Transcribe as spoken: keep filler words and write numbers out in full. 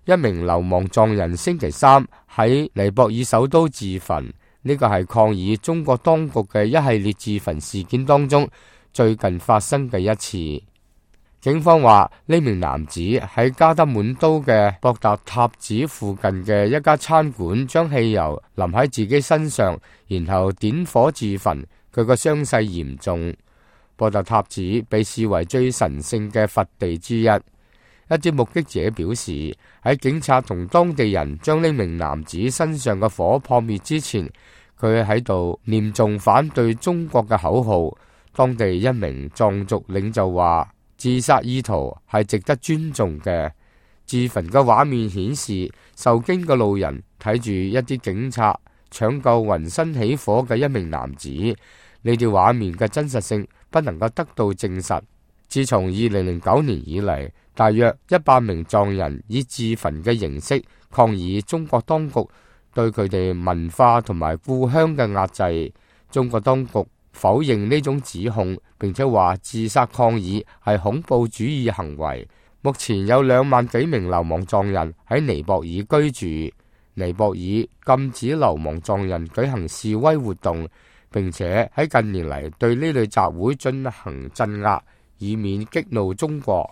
一名流亡藏人星期三喺尼泊爾首都自焚，呢個係抗議中國當局嘅一系列自焚事件當中最近發生嘅一次。警方話呢名男子喺加德滿都嘅博達塔寺附近嘅一家餐館將汽油淋喺自己身上，然後點火自焚。佢個傷勢嚴重。博達塔寺被視為最神聖嘅佛地之一。一啲目擊者表示，喺警察同當地人將呢名男子身上嘅火撲滅之前，佢喺度念誦反對中國嘅口號。當地一名藏族領袖話，自殺意圖係值得尊重嘅。自焚嘅畫面顯示，受驚嘅路人睇住一啲警察搶救渾身起火嘅一名男子。呢啲畫面嘅真實性不能夠得到證實。自從二零零九年以嚟，大約一百名藏人以自焚嘅形式抗議中國當局對佢哋文化同埋故鄉嘅壓制。中國當局否認呢種指控，並且話自殺抗議係恐怖主義行為。目前有兩萬幾名流亡藏人喺尼泊爾居住。尼泊爾禁止流亡藏人舉行示威活動，並且喺近年嚟對呢類集會進行鎮壓，以免激怒中國。